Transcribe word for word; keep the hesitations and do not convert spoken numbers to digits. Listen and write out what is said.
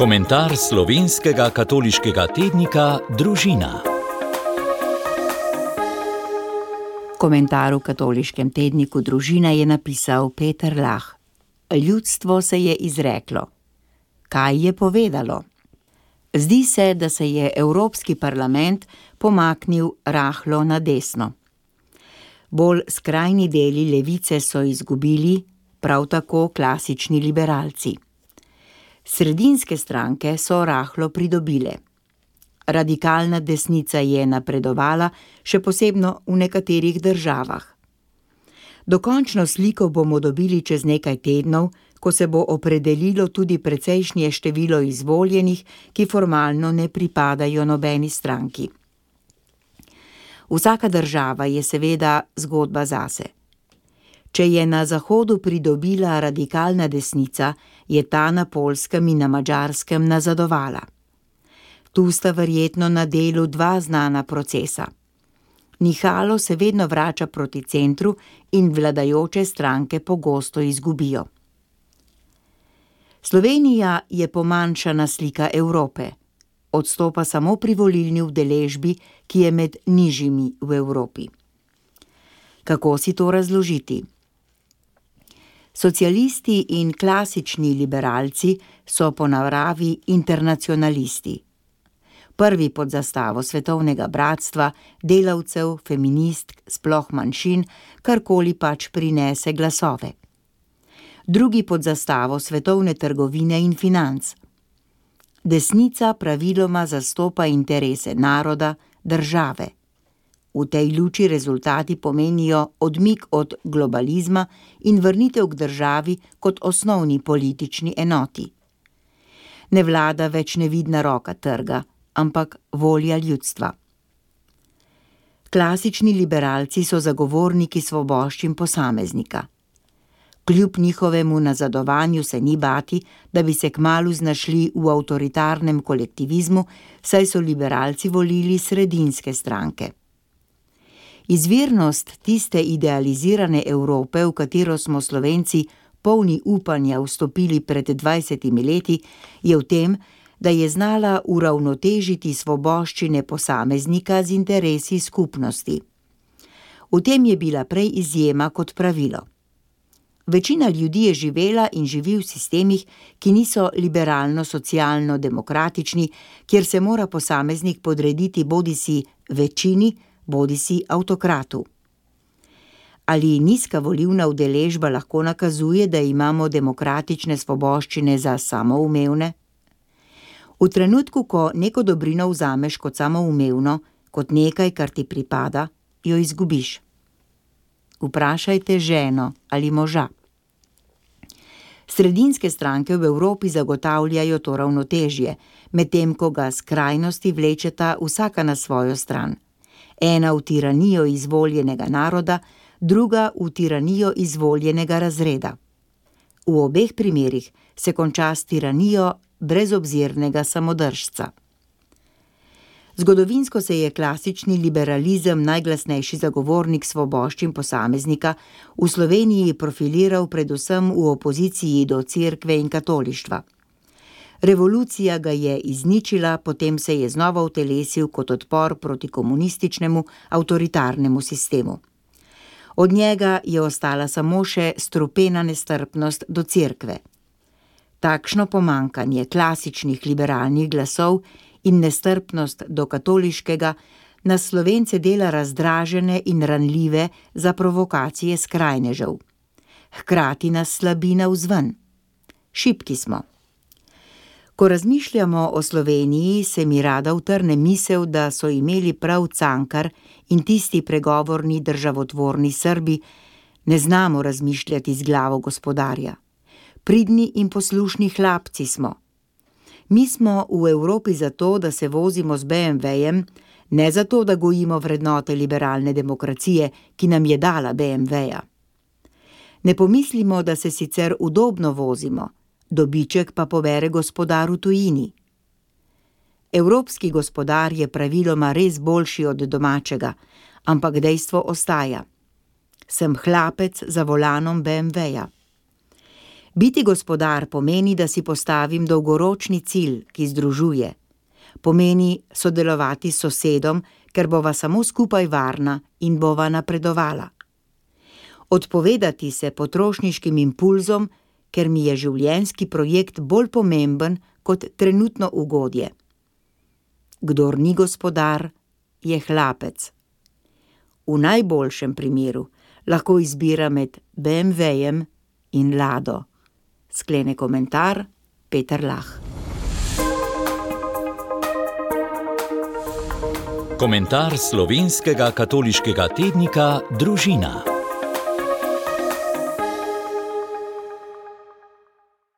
Komentar slovenskega katoliškega tednika Družina. Komentar v katoliškem tedniku Družina je napisal Peter Lah. Ljudstvo se je izreklo. Kaj je povedalo? Zdi se, da se je Evropski parlament pomaknil rahlo na desno. Bolj skrajni deli levice so izgubili, prav tako klasični liberalci. Sredinske stranke so rahlo pridobile. Radikalna desnica je napredovala, še posebno v nekaterih državah. Dokončno sliko bomo dobili čez nekaj tednov, ko se bo opredelilo tudi precejšnje število izvoljenih, ki formalno ne pripadajo nobeni stranki. Vsaka država je seveda zgodba zase. Če je na Zahodu pridobila radikalna desnica, je ta na Poljskem in na Madžarskem nazadovala. Tu sta verjetno na delu dva znana procesa. Nihalo se vedno vrača proti centru in vladajoče stranke pogosto izgubijo. Slovenija je pomanjšana slika Evrope. Odstopa samo pri volilni udeležbi, ki je med nižjimi v Evropi. Kako si to razložiti? Socialisti in klasični liberalci so po naravi internacionalisti. Prvi pod zastavo svetovnega bratstva, delavcev, feministk, sploh manjšin, karkoli pač prinese glasove. Drugi pod zastavo svetovne trgovine in financ. Desnica praviloma zastopa interese naroda, države. V tej luči rezultati pomenijo odmik od globalizma in vrnitev k državi kot osnovni politični enoti. Ne vlada več nevidna roka trga, ampak volja ljudstva. Klasični liberalci so zagovorniki svoboščin posameznika. Kljub njihovemu nazadovanju se ni bati, da bi se kmalu znašli v avtoritarnem kolektivizmu, saj so liberalci volili sredinske stranke. Izvirnost tiste idealizirane Evrope, v katero smo Slovenci polni upanja vstopili pred dvajsetimi leti, je v tem, da je znala uravnotežiti svoboščine posameznika z interesi skupnosti. V tem je bila prej izjema kot pravilo. Večina ljudi je živela in živi v sistemih, ki niso liberalno-socialno-demokratični, kjer se mora posameznik podrediti bodisi večini, bodisi avtokratu. Ali nizka volilna udeležba lahko nakazuje, da imamo demokratične svoboščine za samoumevne? V trenutku, ko neko dobrino vzameš kot samoumevno, kot nekaj, kar ti pripada, jo izgubiš. Vprašajte ženo ali moža. Sredinske stranke v Evropi zagotavljajo to ravnotežje, medtem ko ga skrajnosti vlečeta vsaka na svojo stran. Ena v tiranijo izvoljenega naroda, druga v tiranijo izvoljenega razreda. V obeh primerih se konča s tiranijo brezobzirnega samodržca. Zgodovinsko se je klasični liberalizem, najglasnejši zagovornik svoboščin posameznika, v Sloveniji profiliral predvsem v opoziciji do cerkve in katolištva. Revolucija ga je izničila, potem se je znova utelesil kot odpor proti komunističnemu avtoritarnemu sistemu. Od njega je ostala samo še strupena nestrpnost do cerkve. Takšno pomankanje klasičnih liberalnih glasov in nestrpnost do katoliškega nas Slovence dela razdražene in ranljive za provokacije skrajnežev. Hkrati nas slabi navzven. Šibki smo. Ko razmišljamo o Sloveniji, se mi rada utrne misel, da so imeli prav Cankar in tisti pregovorni državotvorni Srbi, ne znamo razmišljati z glavo gospodarja. Pridni in poslušni hlapci smo. Mi smo v Evropi zato, da se vozimo z be em vejem, ne zato, da gojimo vrednote liberalne demokracije, ki nam je dala be em veja. Ne pomislimo, da se sicer udobno vozimo, dobiček pa pobere gospodar v tujini. Evropski gospodar je praviloma res boljši od domačega, ampak dejstvo ostaja. Sem hlapec za volanom be em veja. Biti gospodar pomeni, da si postavim dolgoročni cilj, ki združuje. Pomeni sodelovati s sosedom, ker bova samo skupaj varna in bova napredovala. Odpovedati se potrošniškim impulzom, ker mi je življenjski projekt bolj pomemben kot trenutno ugodje. Kdor ni gospodar, je hlapec. V najboljšem primeru lahko izbira med be em vejem in lado. Sklene komentar Peter Lah. Komentar slovenskega katoliškega tednika Družina.